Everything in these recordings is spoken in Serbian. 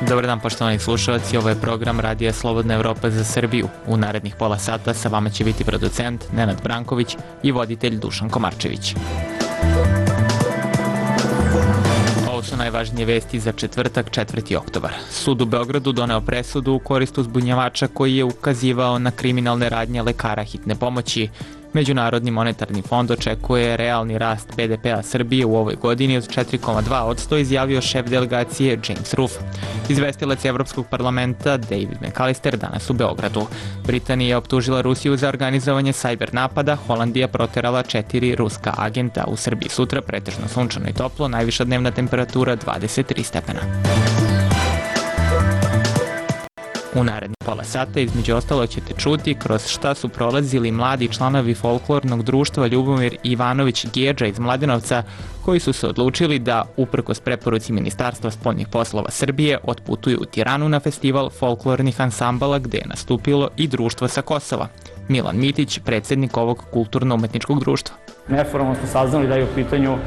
Dobar dan poštovani slušalci, ovo je program Radija Slobodna Evropa za Srbiju. U narednih pola sata sa vama će biti producent Nenad Branković i voditelj Dušan Komarčević. Ovo su najvažnije vesti za četvrtak, 4. oktobar. Sud u Beogradu doneo presudu u korist uzbunjivača koji je ukazivao na kriminalne radnje lekara hitne pomoći. Međunarodni monetarni fond očekuje realni rast BDP-a Srbije u ovoj godini od 4,2%, izjavio šef delegacije James Ruff. Izvestilac Evropskog parlamenta David McAllister danas u Beogradu. Britanija je optužila Rusiju za organizovanje sajber napada, Holandija proterala 4 ruska agenta. U Srbiji sutra pretežno sunčano i toplo, najviša dnevna temperatura 23 stepena. U narednih pola sata između ostalo ćete čuti kroz šta su prolazili mladi članovi folklornog društva Ljubomir Ivanović Gedža iz Mladenovca, koji su se odlučili da, uprkos preporuci Ministarstva spoljnih poslova Srbije, otputuju u Tiranu na festival folklornih ansambala gde je nastupilo i društvo sa Kosova. Milan Mitić, predsjednik ovog kulturno-umetničkog društva. Neformalno smo saznali da je u pitanju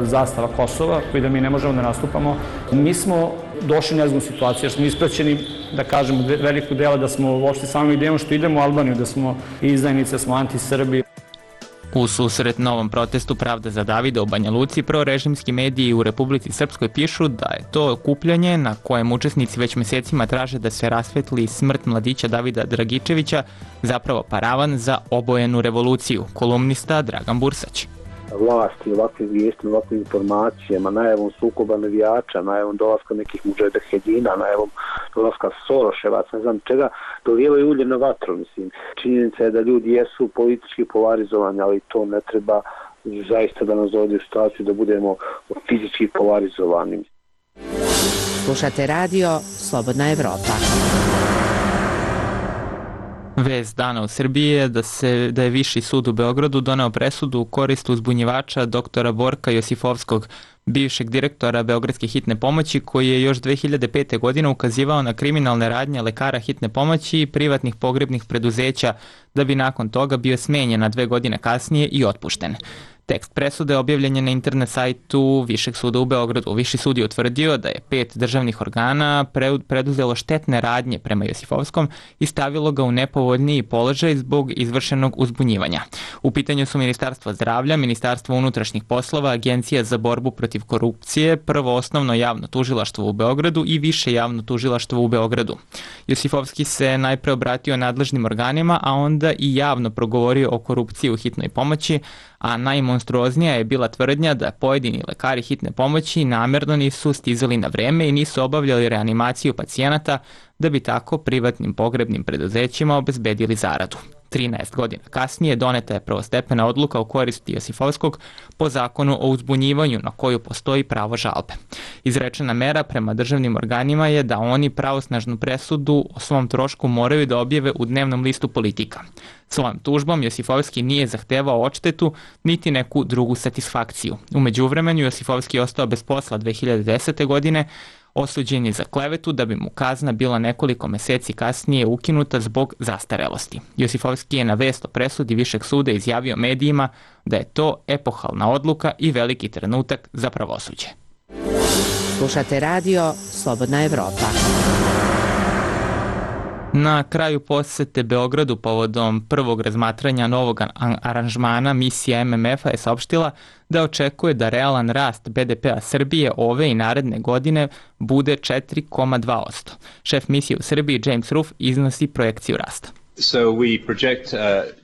zastava Kosova, koji da mi ne možemo da nastupamo. Mi smo došli u nezgodnu situaciju jer smo ispraćeni, da kažemo, velikog dela da smo uopšte samom idejom što idemo u Albaniju, da smo izdajnici, da smo anti-Srbi. U susret novom protestu Pravda za Davida u Banja Luci, prorežimski mediji u Republici Srpskoj pišu da je to okupljanje na kojem učesnici već mesecima traže da se rasvetli smrt mladića Davida Dragičevića zapravo paravan za obojenu revoluciju. Kolumnista Dragan Bursać. Vlasti ovakvim vijestima, ovakvim informacijama, najavom sukoba navijača, najavom dolaska nekih mudžahedina, najavom dolaska Soroševaca, ne znam čega, dolijevaju ulje na vatru. Mislim. Činjenica je da ljudi jesu politički polarizovani, ali to ne treba zaista da nas dovede u situaciju da budemo fizički polarizovani. Slušate radio Slobodna Evropa. Vest dana u Srbiji je da je Viši sud u Beogradu doneo presudu u korist uzbunjivača doktora Borka Josifovskog, bivšeg direktora Beogradske hitne pomoći, koji je još 2005. godine ukazivao na kriminalne radnje lekara hitne pomoći i privatnih pogrebnih preduzeća, da bi nakon toga bio smenjen, a 2 godine kasnije i otpušten. Tekst presude objavljen je na internet sajtu Višeg suda u Beogradu. Viši sud je utvrdio da je 5 državnih organa preduzelo štetne radnje prema Josifovskom i stavilo ga u nepovoljniji položaj zbog izvršenog uzbunjivanja. U pitanju su Ministarstvo zdravlja, Ministarstvo unutrašnjih poslova, Agencija za borbu protiv korupcije, Prvo osnovno javno tužilaštvo u Beogradu i Više javno tužilaštvo u Beogradu. Josifovski se najpre obratio nadležnim organima, a onda i javno progovorio o korupciji u hitnoj pomoći, a najmonstruoznija je bila tvrdnja da pojedini lekari hitne pomoći namerno nisu stizali na vreme i nisu obavljali reanimaciju pacijenata, da bi tako privatnim pogrebnim preduzećima obezbedili zaradu. 13 godina kasnije doneta je prvostepena odluka u korist Josifovskog po zakonu o uzbunjivanju na koju postoji pravo žalbe. Izrečena mera prema državnim organima je da oni pravosnažnu presudu o svom trošku moraju da objave u dnevnom listu Politika. Svojom tužbom Josifovski nije zahtevao odštetu niti neku drugu satisfakciju. U međuvremenu Josifovski je ostao bez posla 2010. godine, osuđen je za klevetu, da bi mu kazna bila nekoliko meseci kasnije ukinuta zbog zastarelosti. Josifovski je na vest o presudi Višeg suda izjavio medijima da je to epohalna odluka i veliki trenutak za pravosuđe. Slušate radio Slobodna Evropa. Na kraju posete Beogradu povodom prvog razmatranja novog aranžmana, misija MMF-a je saopštila da očekuje da realan rast BDP-a Srbije ove i naredne godine bude 4,2%. Šef misije u Srbiji James Ruff iznosi projekciju rasta.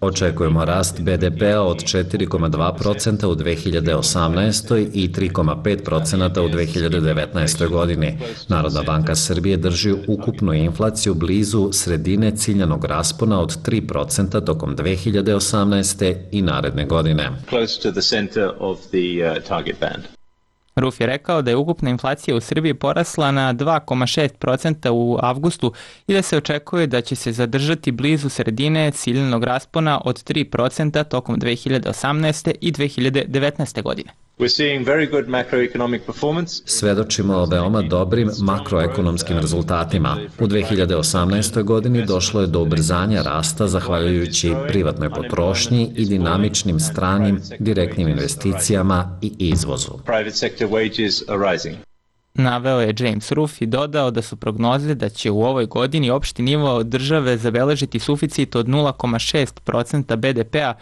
Očekujemo rast BDP-a od 4,2% u 2018. i 3,5% u 2019. godini. Narodna banka Srbije drži ukupnu inflaciju blizu sredine ciljanog raspona od 3% tokom 2018. i naredne godine. Ruff je rekao da je ukupna inflacija u Srbiji porasla na 2,6% u avgustu i da se očekuje da će se zadržati blizu sredine ciljanog raspona od 3% tokom 2018. i 2019. godine. Svedočimo o veoma dobrim makroekonomskim rezultatima. U 2018. godini došlo je do ubrzanja rasta zahvaljujući privatnoj potrošnji i dinamičnim stranim direktnim investicijama i izvozu. naveo je James Ruff i dodao da su prognoze da će u ovoj godini opšti nivo države zabeležiti suficit od 0,6% BDP-a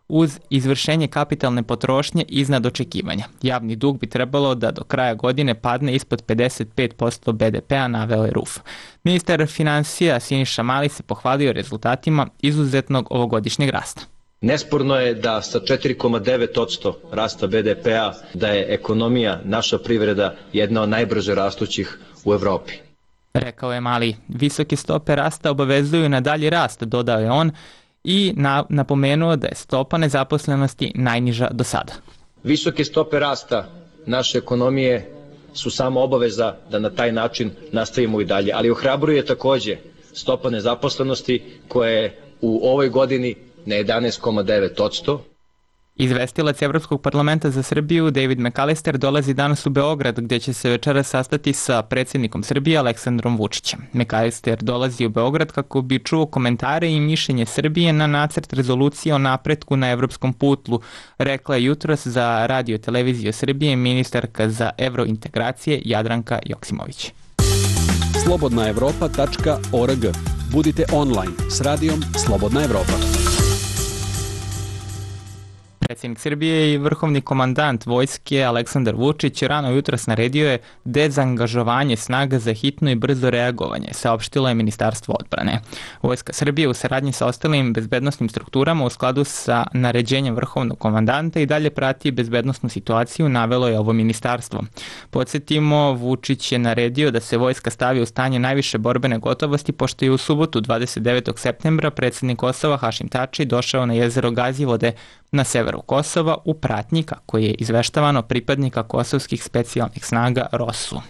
uz izvršenje kapitalne potrošnje iznad očekivanja. Javni dug bi trebalo da do kraja godine padne ispod 55% BDP-a, naveo je Ruff. Ministar finansija Siniša Mali se pohvalio rezultatima izuzetnog ovogodišnjeg rasta. Nesporno je da sa 4,9% rasta BDP-a da je ekonomija, naša privreda, jedna od najbrže rastućih u Evropi. Rekao je Mali. Visoke stope rasta obavezuju na dalji rast, dodao je on, i napomenuo da je stopa nezaposlenosti najniža do sada. Visoke stope rasta naše ekonomije su samo obaveza da na taj način nastavimo i dalje, ali ohrabruje takođe stopa nezaposlenosti koja je u ovoj godini na 11,9%. Izvestilac Evropskog parlamenta za Srbiju David McAllister dolazi danas u Beograd, gdje će se večeras sastati sa predsjednikom Srbije Aleksandrom Vučićem. McAllister dolazi u Beograd kako bi čuo komentare i mišljenje Srbije na nacrt rezolucije o napretku na evropskom putu, rekla je jutros za Radio televiziju Srbije ministarka za evrointegracije Jadranka Joksimović. slobodnaevropa.org. Budite online s radijom Slobodna Evropa. Predsjednik Srbije i vrhovni komandant vojske Aleksandar Vučić rano jutros naredio je dezangažovanje snaga za hitno i brzo reagovanje, saopštilo je Ministarstvo odbrane. Vojska Srbije u saradnji sa ostalim bezbednosnim strukturama u skladu sa naređenjem vrhovnog komandanta i dalje prati bezbednosnu situaciju, navelo je ovo ministarstvo. Podsjetimo, Vučić je naredio da se vojska stavi u stanje najviše borbene gotovosti, pošto je u subotu 29. septembra predsjednik Kosova Hašim Tači došao na jezero Gazivode na severu Kosova u pratnji, kako je izveštavano, pripadnika kosovskih specijalnih snaga ROSU.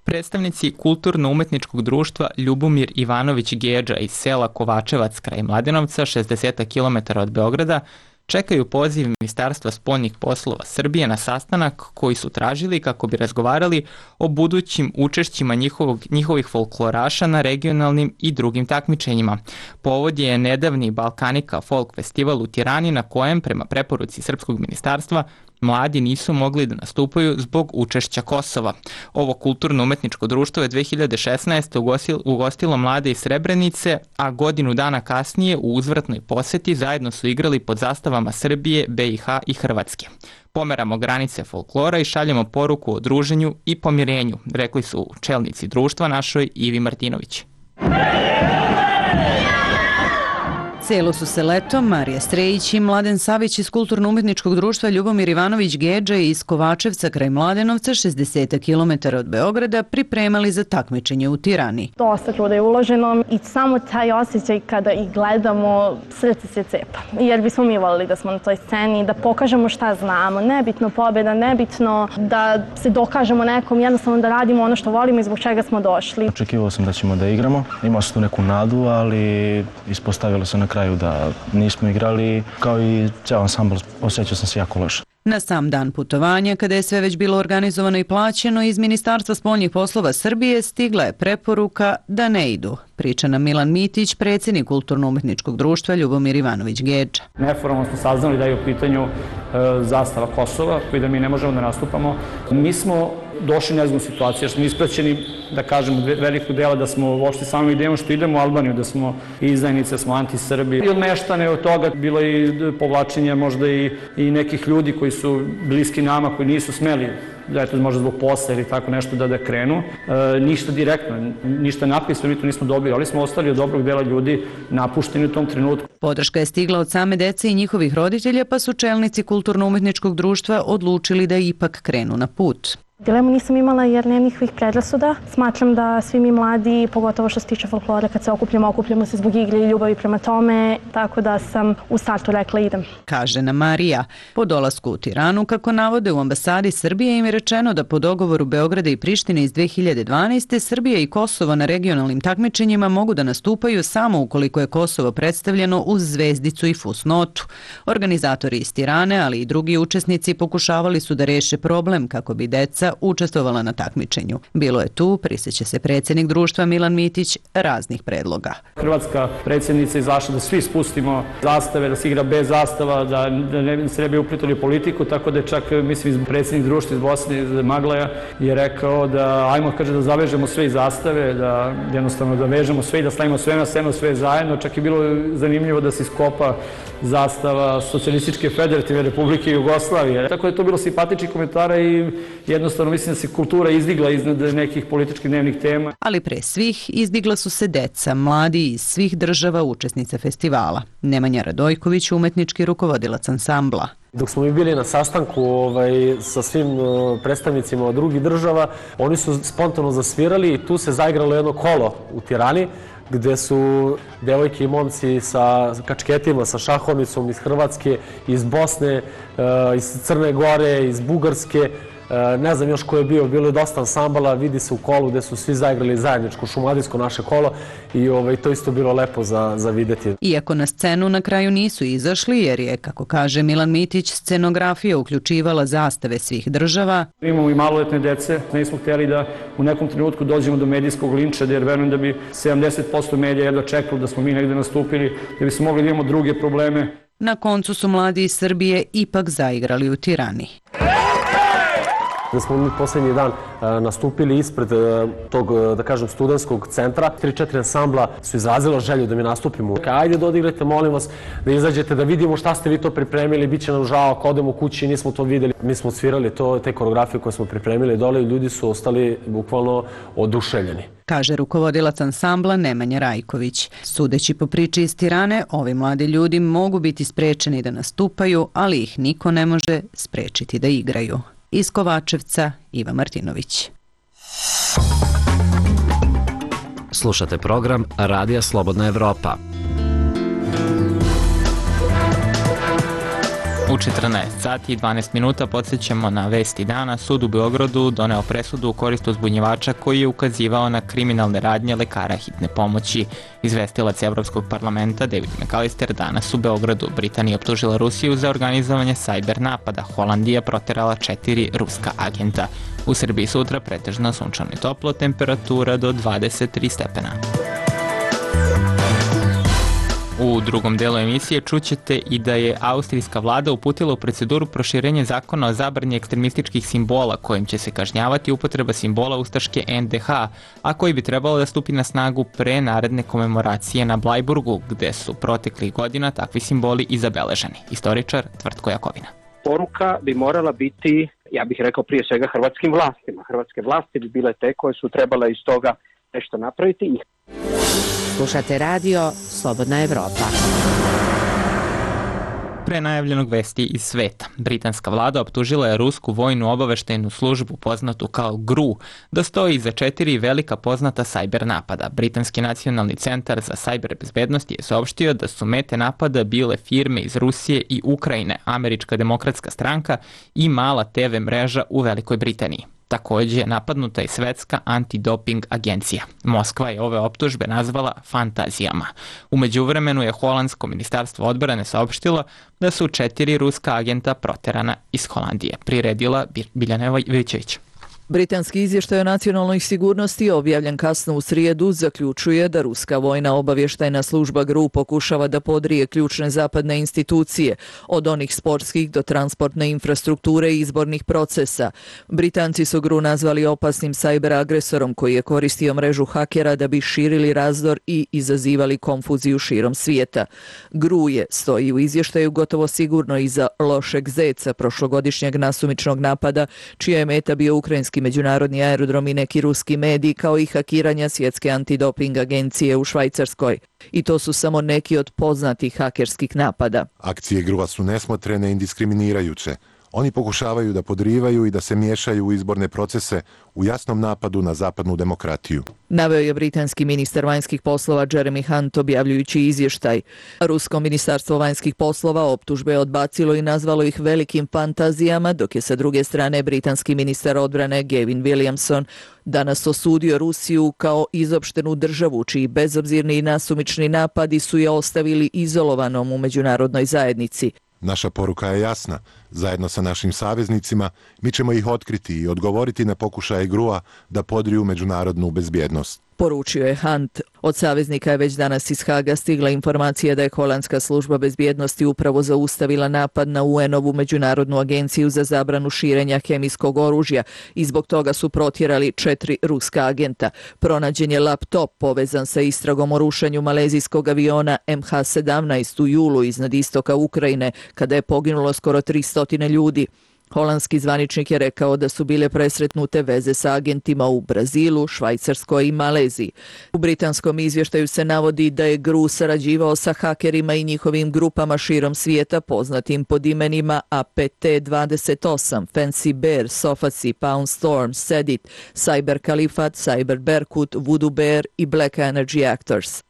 Predstavnici kulturno-umetničkog društva Ljubomir Ivanović Gedža iz sela Kovačevac kraj Mladenovca, 60 km od Beograda, čekaju poziv Ministarstva spoljnih poslova Srbije na sastanak koji su tražili kako bi razgovarali o budućim učešćima njihovih folkloraša na regionalnim i drugim takmičenjima. Povod je nedavni Balkanika folk festival u Tirani, na kojem, prema preporuci Srpskog ministarstva, mladi nisu mogli da nastupaju zbog učešća Kosova. Ovo kulturno-umetničko društvo je 2016. ugostilo mlade iz Srebrenice, a godinu dana kasnije u uzvratnoj poseti zajedno su igrali pod zastavama Srbije, BiH i Hrvatske. Pomeramo granice folklora i šaljemo poruku o druženju i pomirenju, rekli su čelnici društva našoj Ivi Martinović. Celo su se leto Marija Strejić i Mladen Savić iz kulturno-umetničkog društva Ljubomir Ivanović Gedža iz Kovačevca kraj Mladenovca, 60 km od Beograda, pripremali za takmičenje u Tirani. Dosta truda je uloženo i samo taj osjećaj kada ih gledamo, srce se cepa. Jer bismo mi volili da smo na toj sceni, da pokažemo šta znamo. Nebitno pobjeda, nebitno da se dokažemo nekom, jednostavno da radimo ono što volimo i zbog čega smo došli. Očekivao sam da ćemo da igramo, imao sam tu neku nadu, ali ispostavilo se na kraju da nismo igrali, kao i ceo ansambl, osjećao sam se jako loše. Na sam dan putovanja, kada je sve već bilo organizovano i plaćeno, iz Ministarstva spoljnih poslova Srbije stigla je preporuka da ne idu. Priča nam Milan Mitić, predsjednik kulturno-umetničkog društva Ljubomir Ivanović Gedža. Neformalno smo saznali da je u pitanju zastava Kosova, koji da mi ne možemo da nastupamo. Mi smo došli u nezgodnu situaciju, jer smo ispraćeni, da kažemo, velikog dela da smo uopšte sami idemo što idemo u Albaniju, da smo izdajnice, da smo anti-Srbi. I odmeštane od toga bilo i povlačenje možda i nekih ljudi koji su bliski nama, koji nisu smeli, da je to možda zbog posla ili tako nešto da krenu. Ništa direktno, ništa napisano, mi to nismo dobili, ali smo ostali od dobrog dela ljudi napušteni u tom trenutku. Podrška je stigla od same dece i njihovih roditelja, pa su čelnici kulturno-umetničkog društva odlučili da ipak krenu na put. Dilemu nisam imala jer nema nikakvih predrasuda. Smatram da svi mi mladi, pogotovo što se tiče folklora, kad se okupljamo se zbog igre i ljubavi prema tome, tako da sam u startu rekla idem. Kaže nam Marija. Po dolasku u Tiranu, kako navode u ambasadi Srbije, im je rečeno da po dogovoru Beograda i Prištine iz 2012. Srbija i Kosovo na regionalnim takmičenjima mogu da nastupaju samo ukoliko je Kosovo predstavljeno uz zvezdicu i fusnotu. Organizatori iz Tirane, ali i drugi učesnici pokušavali su da reše problem kako bi deca deca učestvovala na takmičenju. Bilo je tu, prisjeća se predsjednik društva Milan Mitić, raznih predloga. Hrvatska predsjednica izašla da svi spustimo zastave, da se igra bez zastava, da ne se ne bi uplitali u politiku, tako da je čak, mislim, predsjednik društva iz Bosne, iz Maglaja, je rekao da ajmo, kaže, da zavežemo sve iz zastave, da jednostavno da vežemo sve i da stavimo sve na scenu, sve zajedno. Čak je bilo zanimljivo da se iskopa zastava Socijalističke federativne Republike Jugoslavije. Tako da je to bilo simpatičnih komentara i jednostavno mislim da se kultura izdigla iznad nekih političkih dnevnih tema. Ali pre svih izdigla su se deca, mladi iz svih država učesnica festivala. Nemanja Radojković, umetnički rukovodilac ansambla. Dok smo mi bili na sastanku sa svim predstavnicima od drugih država, oni su spontano zasvirali i tu se zaigralo jedno kolo u Tirani, gde su devojke i momci sa kačketima, sa šahovnicom iz Hrvatske, iz Bosne, iz Crne Gore, iz Bugarske, ne znam još ko je bio, bilo je dosta ansambala, vidi se u kolu gde su svi zaigrali zajedničko šumadijsko naše kolo i to isto bilo lepo za videti. Iako na scenu na kraju nisu izašli, jer je, kako kaže Milan Mitić, scenografija uključivala zastave svih država. Imamo i maloletne dece, nismo htjeli da u nekom trenutku dođemo do medijskog linča, jer verujem da bi 70% medija jedva čekalo da smo mi negde nastupili, da bi smo mogli da imamo druge probleme. Na koncu su mladi iz Srbije ipak zaigrali u Tirani. Da smo mi poslednji dan nastupili ispred tog, da kažem, studentskog centra. 3-4 ansambla su izrazilo želju da mi nastupimo. Ajde da odigrate, molim vas, da izađete, da vidimo šta ste vi to pripremili, bit će nam žao ako odemo kući i nismo to videli. Mi smo svirali te koreografije koje smo pripremili dole i ljudi su ostali bukvalno oduševljeni. Kaže rukovodilac ansambla Nemanja Rajković. Sudeći po priči iz Tirane, ovi mladi ljudi mogu biti sprečeni da nastupaju, ali ih niko ne može sprečiti da igraju. Iz Kovačevca, Iva Martinović. Slušate program Radija Slobodna Evropa. U 14 sati i 12 minuta podsjećamo na vesti dana. Sud u Beogradu doneo presudu u korist uzbunjivača koji je ukazivao na kriminalne radnje lekara hitne pomoći. Izvestilac Evropskog parlamenta David McAllister danas u Beogradu. Britanija optužila Rusiju za organizovanje sajber napada. Holandija proterala 4 ruska agenta. U Srbiji sutra pretežno sunčano i toplo, temperatura do 23 stepena. U drugom delu emisije čućete i da je austrijska vlada uputila u proceduru proširenje zakona o zabrani ekstremističkih simbola kojim će se kažnjavati upotreba simbola ustaške NDH, a koji bi trebalo da stupi na snagu pre naredne komemoracije na Blajburgu, gde su proteklih godina takvi simboli i zabeleženi. Istoričar Tvrtko Jakovina. Poruka bi morala biti, ja bih rekao prije svega hrvatskim vlastima. Hrvatske vlasti bi bile te koje su trebale iz toga nešto napraviti. Slušate radio Slobodna Evropa. Pre najavljenog vesti iz sveta, britanska vlada optužila je rusku vojnu obaveštajnu službu poznatu kao GRU da stoji iza 4 velika poznata sajber napada. Britanski nacionalni centar za sajber bezbednost je saopštio da su mete napada bile firme iz Rusije i Ukrajine, Američka demokratska stranka i mala TV mreža u Velikoj Britaniji. Takođe je napadnuta i svetska antidoping agencija. Moskva je ove optužbe nazvala fantazijama. U međuvremenu je holandsko ministarstvo odbrane saopštilo da su 4 ruska agenta proterana iz Holandije. Priredila Biljana Vojčević. Britanski izvještaj o nacionalnoj sigurnosti objavljen kasno u srijedu zaključuje da ruska vojna obavještajna služba GRU pokušava da podrije ključne zapadne institucije, od onih sportskih do transportne infrastrukture i izbornih procesa. Britanci su GRU nazvali opasnim sajber agresorom koji je koristio mrežu hakera da bi širili razdor i izazivali konfuziju širom svijeta. GRU je, stoji u izvještaju, gotovo sigurno iza Lošeg Zeca, prošlogodišnjeg nasumičnog napada, čija je meta bio ukrajinski međunarodni aerodrom i neki ruski mediji, kao i hakiranja svjetske antidoping agencije u Švajcarskoj. I to su samo neki od poznatih hakerskih napada. Akcije GRU-a su nesmotrene i diskriminirajuće. Oni pokušavaju da podrivaju i da se miješaju u izborne procese u jasnom napadu na zapadnu demokratiju. Naveo je britanski ministar vanjskih poslova Jeremy Hunt objavljujući izvještaj. Rusko ministarstvo vanjskih poslova optužbe je odbacilo i nazvalo ih velikim fantazijama, dok je sa druge strane britanski ministar odbrane Gavin Williamson danas osudio Rusiju kao izopštenu državu, čiji bezobzirni i nasumični napadi su je ostavili izolovanom u međunarodnoj zajednici. Naša poruka je jasna. Zajedno sa našim saveznicima mi ćemo ih otkriti i odgovoriti na pokušaje GRU-a da podriju međunarodnu bezbjednost. Poručio je Hunt. Od saveznika je već danas iz Haga stigla informacija da je holandska služba bezbjednosti upravo zaustavila napad na UN-ovu međunarodnu agenciju za zabranu širenja hemijskog oružja i zbog toga su protjerali 4 ruska agenta. Pronađen je laptop povezan sa istragom o rušenju malezijskog aviona MH17 u julu iznad istoka Ukrajine, kada je poginulo skoro 300 ljudi. Holandski zvaničnik je rekao da su bile presretnute veze sa agentima u Brazilu, Švajcarskoj i Maleziji. U britanskom izvještaju se navodi da je GRU sarađivao sa hakerima i njihovim grupama širom svijeta poznatim pod imenima APT28, Fancy Bear, Sofaci, Pound Storm, Sedit, Cyber Kalifat, Cyber Berkut, Voodoo Bear i Black Energy Actors.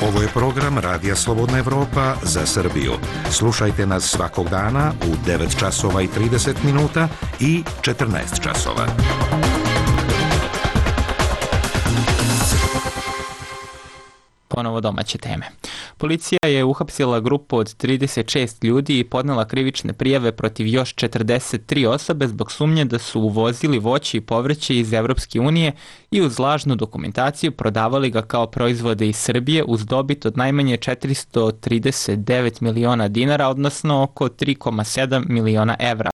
Ovo je program Radija Slobodna Evropa za Srbiju. Slušajte nas svakog dana u 9 časova i 30 minuta i 14 časova. Ponovo domaće teme. Policija je uhapsila grupu od 36 ljudi i podnela krivične prijave protiv još 43 osobe zbog sumnje da su uvozili voće i povrće iz Evropske unije i uz lažnu dokumentaciju prodavali ga kao proizvode iz Srbije uz dobit od najmanje 439 miliona dinara, odnosno oko 3,7 miliona evra.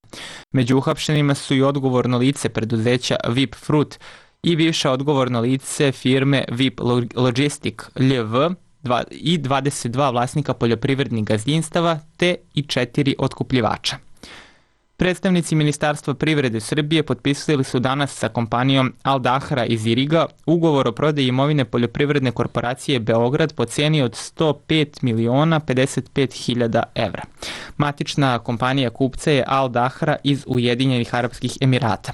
Među uhapšenima su i odgovorno lice preduzeća VIP Fruit i bivše odgovorno lice firme VIP Logistic LV i 22 vlasnika poljoprivrednih gazdinstava te i 4 otkupljivača. Predstavnici Ministarstva privrede Srbije potpisali su danas sa kompanijom Al Dahra iz Iriga ugovor o prodaji imovine poljoprivredne korporacije Beograd po cijeni od 105.055.000 evra. Matična kompanija kupca je Al Dahra iz Ujedinjenih Arapskih Emirata.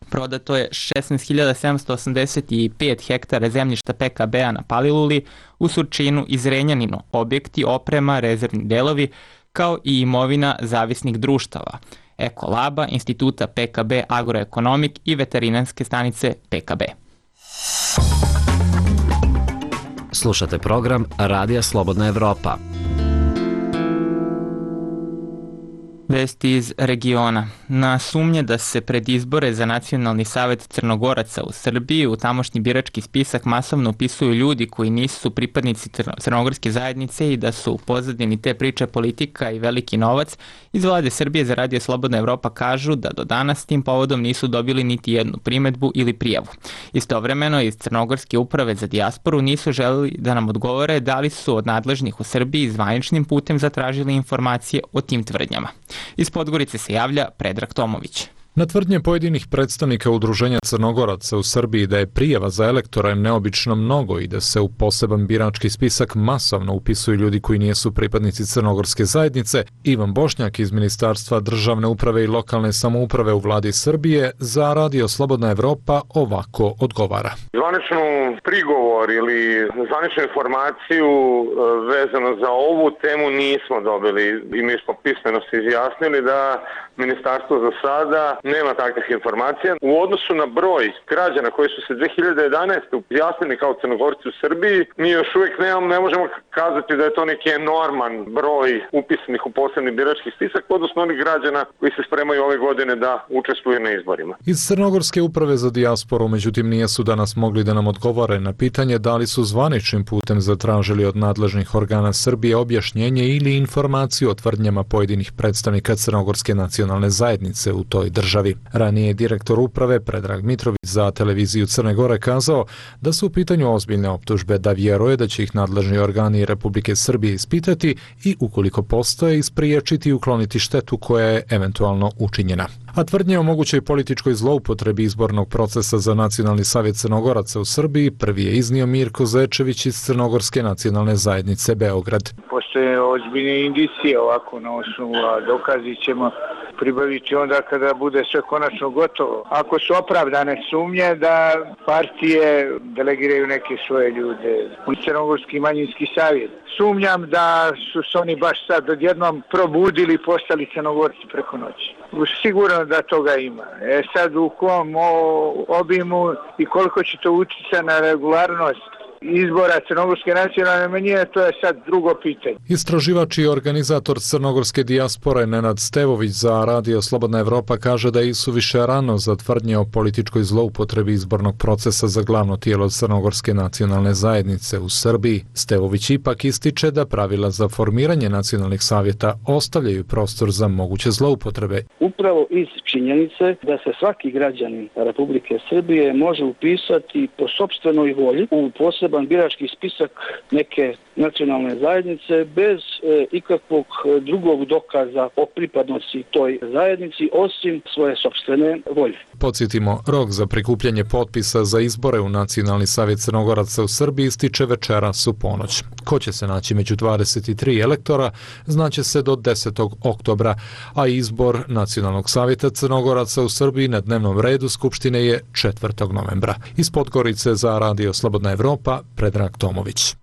Prodato je 16.785 hektara zemljišta PKB-a na Paliluli, u Surčinu i Zrenjaninu, objekti, oprema, rezervni delovi, kao i imovina zavisnih društava, Ekolaba, Instituta PKB Agroekonomik i veterinarske stanice PKB. Slušate program Radija Slobodna Evropa. Vesti iz regiona. Na sumnje da se pred izbore za Nacionalni savet Crnogoraca u Srbiji u tamošnji birački spisak masovno upisuju ljudi koji nisu pripadnici crnogorske zajednice i da su u pozadini te priče politika i veliki novac, iz vlade Srbije za Radio Slobodna Evropa kažu da do danas tim povodom nisu dobili niti jednu primedbu ili prijavu. Istovremeno iz Crnogorske uprave za dijasporu nisu želeli da nam odgovore da li su od nadležnih u Srbiji zvaničnim putem zatražili informacije o tim tvrdnjama. Iz Podgorice se javlja Predrag Tomović. Na tvrdnje pojedinih predstavnika Udruženja Crnogoraca u Srbiji da je prijava za elektore neobično mnogo i da se u poseban birački spisak masovno upisuju ljudi koji nisu pripadnici crnogorske zajednice, Ivan Bošnjak iz Ministarstva državne uprave i lokalne samouprave u vladi Srbije za Radio Slobodna Evropa ovako odgovara. Zvaničnu prigovor ili zvaničnu informaciju vezano za ovu temu nismo dobili i mi smo pismeno se izjasnili da Ministarstvo za sada nema takvih informacija. U odnosu na broj građana koji su se 2011. izjasnili kao Crnogorci u Srbiji, mi još uvijek ne možemo kazati da je to neki enorman broj upisanih u posebni birački spisak, odnosno onih građana koji se spremaju ove godine da učestvuju na izborima. Iz Crnogorske uprave za dijasporu, međutim, nisu danas mogli da nam odgovore na pitanje da li su zvaničnim putem zatražili od nadležnih organa Srbije objašnjenje ili informaciju o tvrdnjama pojedinih predstavnika Crnogorske nacionalne zajednice u toj državi. Ranije je direktor uprave Predrag Mitrović za televiziju Crne Gore kazao da su u pitanju ozbiljne optužbe, da vjeruje da će ih nadležni organi Republike Srbije ispitati i ukoliko postoje ispriječiti i ukloniti štetu koja je eventualno učinjena. A tvrdnje o mogućoj političkoj zloupotrebi izbornog procesa za Nacionalni savjet Crnogoraca u Srbiji prvi je iznio Mirko Zečević iz Crnogorske nacionalne zajednice Beograd. Postoje ozbiljne indicije ovako na osnovu, a dokazi ćemo pribaviti onda kada bude sve konačno gotovo. Ako su opravdane sumnje da partije delegiraju neke svoje ljude u Crnogorski manjinski savjet. Sumnjam da su se oni baš sad odjednom probudili i postali Crnogorci preko noći. Sigurno da toga ima. Sad u kom obimu i koliko će to utjecati na regularnost izbora crnogorske nacionalne manjine, to je sad drugo pitanje. Istraživač i organizator crnogorske dijaspore Nenad Stevović za Radio Slobodna Evropa kaže da je isuviše rano za tvrdnje o političkoj zloupotrebi izbornog procesa za glavno tijelo crnogorske nacionalne zajednice u Srbiji. Stevović ipak ističe da pravila za formiranje nacionalnih savjeta ostavljaju prostor za moguće zloupotrebe. Upravo iz činjenice da se svaki građanin Republike Srbije može upisati po sopstvenoj volji u poseban birački spisak neke nacionalne zajednice bez ikakvog drugog dokaza o pripadnosti toj zajednici osim svoje sopstvene volje. Podsjetimo, rok za prikupljanje potpisa za izbore u Nacionalni savjet Crnogoraca u Srbiji ističe večeras u ponoć. Ko će se naći među 23 elektora znaće se do 10. oktobra, a izbor Nacionalnog savjeta Crnogoraca u Srbiji na dnevnom redu Skupštine je 4. novembra. Iz Podgorice za Radio Slobodna Evropa, Predrag Tomović.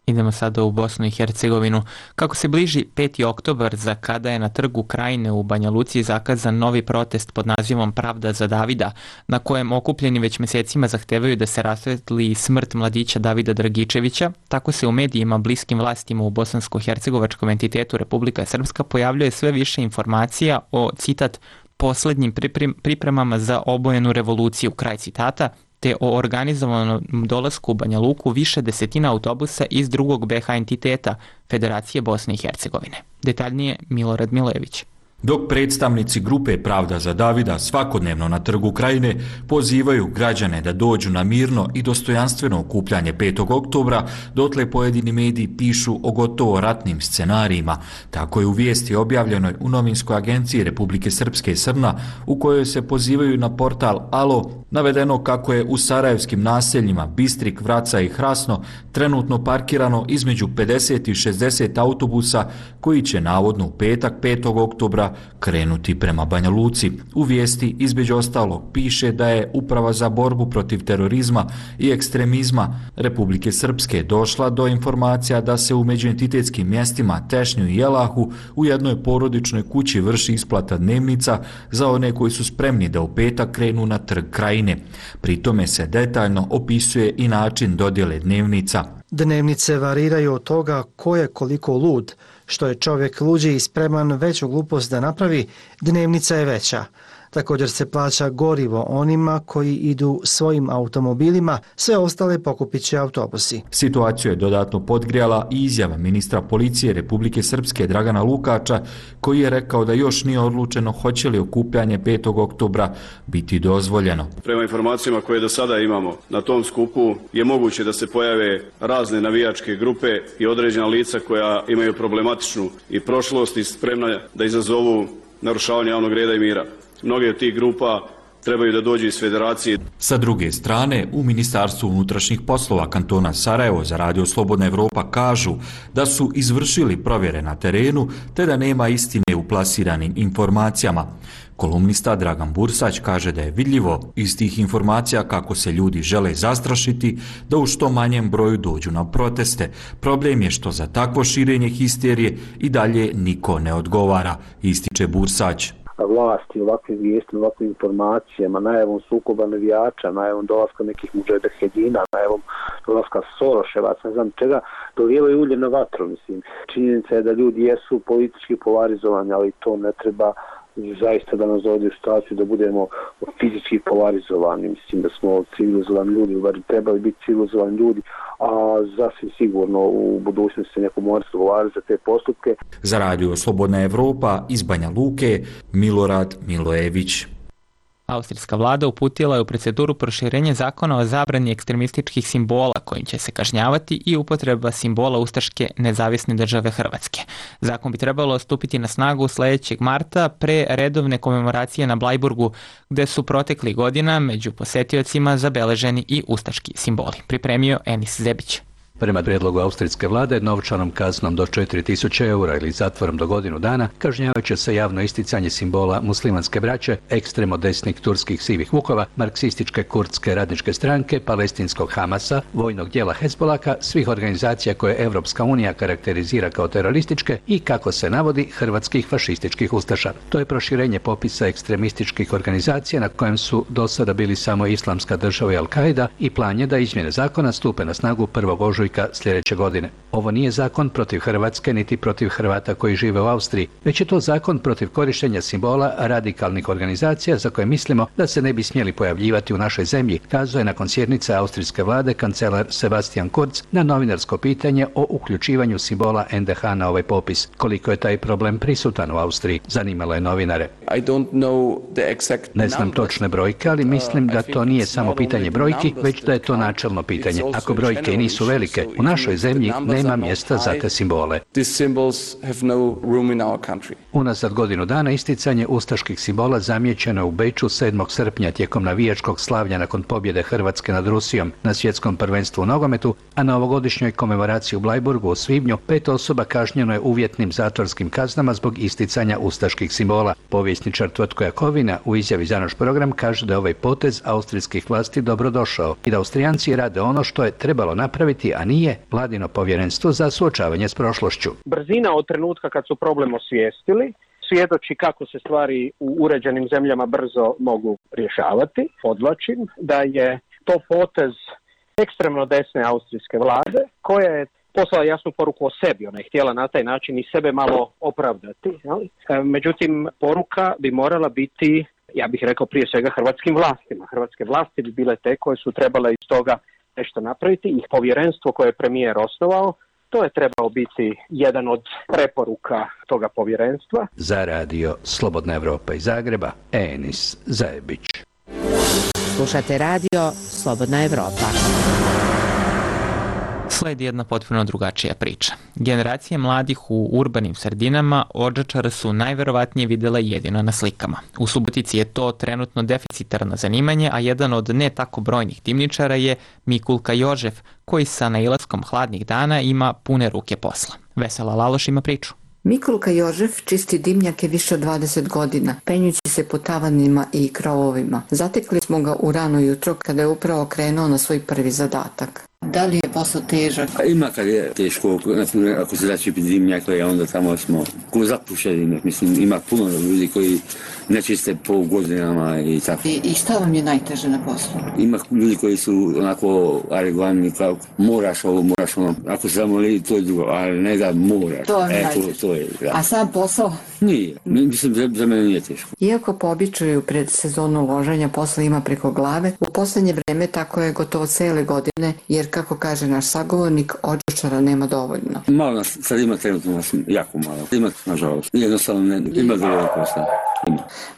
Idemo sada u Bosnu i Hercegovinu. Kako se bliži 5. oktobar, za kada je na trgu Krajine u Banja Luci zakazan novi protest pod nazivom Pravda za Davida, na kojem okupljeni već mjesecima zahtevaju da se rasvetli smrt mladića Davida Dragičevića, tako se u medijima bliskim vlastima u bosansko-hercegovačkom entitetu Republika Srpska pojavljuje sve više informacija o, citat, posljednjim pripremama za obojenu revoluciju, kraj citata, te o organizovanom dolasku u Banja Luku više desetina autobusa iz drugog BH entiteta Federacije Bosne i Hercegovine. Detaljnije Milorad Milojević. Dok predstavnici grupe Pravda za Davida svakodnevno na trgu Krajine pozivaju građane da dođu na mirno i dostojanstveno okupljanje 5. oktobra, dotle pojedini mediji pišu o gotovo ratnim scenarijima. Tako je u vijesti objavljenoj u novinskoj agenciji Republike Srpske Srna, u kojoj se pozivaju na portal Alo, navedeno kako je u sarajevskim naseljima Bistrik, Vraca i Hrasno trenutno parkirano između 50 i 60 autobusa koji će navodno u petak 5. oktobra krenuti prema Banja Luci. U vijesti između ostalog piše da je Uprava za borbu protiv terorizma i ekstremizma Republike Srpske došla do informacija da se u međuentitetskim mjestima Tešnju i Jelahu u jednoj porodičnoj kući vrši isplata dnevnica za one koji su spremni da u petak krenu na trg Krajine. Pri tome se detaljno opisuje i način dodjele dnevnica. Dnevnice variraju od toga ko je koliko lud. Što je čovjek luđi i spreman veću glupost da napravi, dnevnica je veća. Također se plaća gorivo onima koji idu svojim automobilima, sve ostale pokupit će autobusi. Situaciju je dodatno podgrijala i izjava ministra policije Republike Srpske Dragana Lukača, koji je rekao da još nije odlučeno hoće li okupljanje 5. oktobra biti dozvoljeno. Prema informacijama koje do sada imamo, na tom skupu je moguće da se pojave razne navijačke grupe i određena lica koja imaju problematičnu i prošlost i spremna da izazovu narušavanje javnog reda i mira. Mnoge od tih grupa trebaju da dođu iz federacije. Sa druge strane, u Ministarstvu unutrašnjih poslova kantona Sarajevo za Radio Slobodna Evropa kažu da su izvršili provjere na terenu te da nema istine u plasiranim informacijama. Kolumnista Dragan Bursać kaže da je vidljivo iz tih informacija kako se ljudi žele zastrašiti da u što manjem broju dođu na proteste. Problem je što za takvo širenje histerije i dalje niko ne odgovara, ističe Bursać. Vlasti, ovakve vijesti, ovakve informacijama, najavom sukoba navijača, najavom dolaska nekih mudžahedina, najavom dolaska Soroševaca, ne znam čega, dolijevaju ulje na vatru, mislim. Činjenica je da ljudi jesu politički polarizovani, ali to ne treba zaista da nas dovodi u situaciju da budemo fizički polarizovani. Mislim da smo civilizovani ljudi, bar trebali biti civilizovani ljudi, a zasvim sigurno u budućnosti se neko mora odgovarati za te postupke. Za Radio Slobodna Evropa iz Banja Luke, Milorad Milojević. Austrijska vlada uputila je u proceduru proširenje zakona o zabrani ekstremističkih simbola kojim će se kažnjavati i upotreba simbola Ustaške nezavisne države Hrvatske. Zakon bi trebalo stupiti na snagu sljedećeg marta pre redovne komemoracije na Blajburgu, gde su protekli godina među posetiocima zabeleženi i ustaški simboli. Pripremio Enis Zebić. Prema prijedlogu austrijske vlade, novčanom kaznom do 4000 eura ili zatvorom do godinu dana kažnjavaće se javno isticanje simbola muslimanske braće, ekstremo desnih turskih sivih vukova, marksističke kurdske radničke stranke, palestinskog Hamasa, vojnog dijela Hezbolaka, svih organizacija koje Evropska unija karakterizira kao terorističke i, kako se navodi, hrvatskih fašističkih ustaša. To je proširenje popisa ekstremističkih organizacija na kojem su do sada bili samo Islamska država i Al-Qaida i plan je da izmjene zakona stupe na snagu 1. ožujka sljedeće godine. Ovo nije zakon protiv Hrvatske niti protiv Hrvata koji žive u Austriji, već je to zakon protiv korištenja simbola radikalnih organizacija za koje mislimo da se ne bi smjeli pojavljivati u našoj zemlji, kazao je nakon sjednice austrijske vlade kancelar Sebastian Kurz na novinarsko pitanje o uključivanju simbola NDH na ovaj popis. Koliko je taj problem prisutan u Austriji, zanimalo je novinare. Ne znam točne brojke, ali mislim da to nije samo pitanje brojki, već da je to načelno pitanje. Ako brojke i nisu velike, u našoj zemlji nema mjesta za te simbole. Unazad godinu dana isticanje ustaških simbola zamijećeno je u Beču 7. srpnja tijekom navijačkog slavlja nakon pobjede Hrvatske nad Rusijom na svjetskom prvenstvu u nogometu, a na ovogodišnjoj komemoraciji u Blajburgu u svibnju 5 osoba kažnjeno je uvjetnim zatvorskim kaznama zbog isticanja ustaških simbola. Povjesničar Tvrtko Jakovina u izjavi za naš program kaže da je ovaj potez austrijskih vlasti dobrodošao i da Austrijanci rade ono što je trebalo napraviti, a nije vladino povjerenstvo za suočavanje s prošlošću. Brzina od trenutka kad su problem osvijestili svjedoči kako se stvari u uređenim zemljama brzo mogu rješavati. Podvlačim da je to potez ekstremno desne austrijske vlade koja je poslala jasnu poruku o sebi. Ona je htjela na taj način i sebe malo opravdati. Međutim, poruka bi morala biti, ja bih rekao, prije svega hrvatskim vlastima. Hrvatske vlasti bi bile te koje su trebale iz toga nešto napraviti i povjerenstvo koje je premijer osnovao, to je trebao biti jedan od preporuka toga povjerenstva. Za radio Slobodna Evropa iz Zagreba, Enis Zajebić. Slušate radio Slobodna Evropa. Sledi jedna potpuno drugačija priča. Generacije mladih u urbanim sredinama Odžačara su najverovatnije vidjela jedino na slikama. U Subotici je to trenutno deficitarno zanimanje, a jedan od ne tako brojnih dimničara je Mikulka Jožef, koji sa nailaskom hladnih dana ima pune ruke posla. Vesela Laloš ima priču. Mikulka Jožef čisti dimnjake više od 20 godina, penjući se po tavanima i krovovima. Zatekli smo ga u rano jutro kada je upravo krenuo na svoj prvi zadatak. Da li je posao težak? Ima kad je teško, ako se začepi dimnjake, onda tamo smo ko zapušeni. Mislim, ima puno ljudi koji ne čiste po godinama i tako. I šta vam je najteže na poslu? Ima ljudi koji su onako aregvani, kao moraš ovo, moraš ono. Ako se zamoli, to je drugo, ali ne da moraš. To je najteže. A sam posao? Nije, mislim, za mene nije teško. Iako po običaju pred sezonu loženja posla ima preko glave, u posljednje vreme tako je gotovo cele godine, jer kako kaže naš sagovornik, Odžačara nema dovoljno. Malo nas, sad ima trenutno nas jako malo. Ima, nažalost, jednostavno ima dovoljno posla.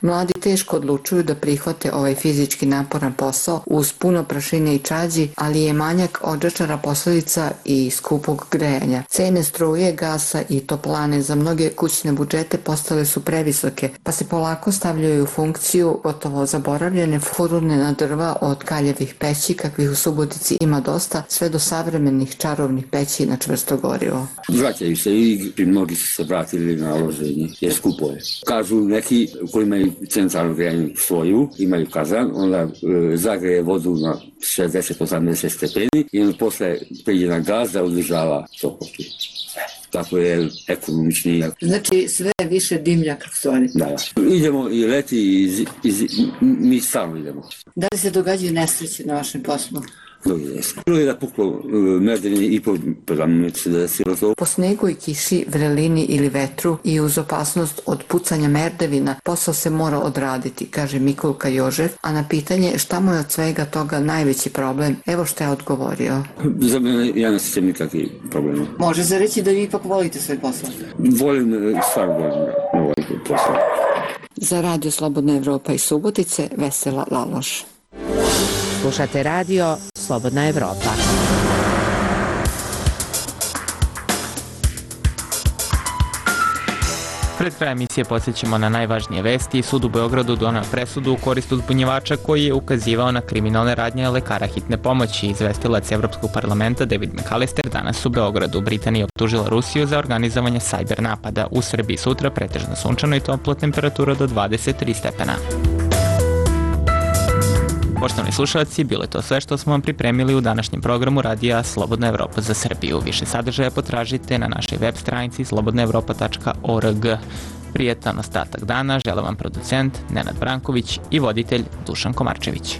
Mladi teško odlučuju da prihvate ovaj fizički naporan posao uz puno prašine i čađi, ali je manjak Odžačara posljedica i skupog grejanja. Cene struje, gasa i toplane za mnoge kućne budžete postale su previsoke, pa se polako stavljaju u funkciju gotovo zaboravljene furune na drva od kaljevih peći, kakvih u Subotici ima dosta, sve do savremenih čarovnih peći na čvrsto gorivo. Vraćaju se i mnogi su se vratili na loženje, jer skupo je. Kažu neki koji imaju centralno grejanje svoju, imaju kazan, onda zagreje vodu na 60-80 stepeni i onda posle priđe na gaz da održava toplotu. Tako je ekonomičnije. Znači sve više dimljaka stvari. Da. Idemo i leti i mi stalno idemo. Da li se događaju nesreće na vašem poslu? Bilo je da puklo merdeni i se desilo to. Po snegu i kiši, vrelini ili vetru i uz opasnost od pucanja merdevina, posao se mora odraditi, kaže Mikulka Jožef, a na pitanje šta mu je od svega toga najveći problem, evo šta je odgovorio. Za mene ja ne sjećam nikakvih problema. Može se reći da vi ipak volite svoj posao? Volim, stvarno volim posao. Za radio Slobodna Evropa iz Subotice, Vesela Laloš. Slušate radio Slobodna Evropa. Pred kraj emisije podsjećamo na najvažnije vesti. Sud u Beogradu doneo presudu u korist uzbunjivača koji je ukazivao na kriminalne radnje lekara hitne pomoći. Izvestilac Evropskog parlamenta David McAllister danas u Beogradu. Britanija optužila Rusiju za organizovanje sajber napada. U Srbiji sutra pretežno sunčano i toplo, temperatura do 23 stepena. Poštovani slušalci, bilo je to sve što smo vam pripremili u današnjem programu Radija Slobodna Evropa za Srbiju. Više sadržaja potražite na našoj web stranici slobodnaevropa.org. Prijetan ostatak dana žele vam producent Nenad Branković i voditelj Dušan Komarčević.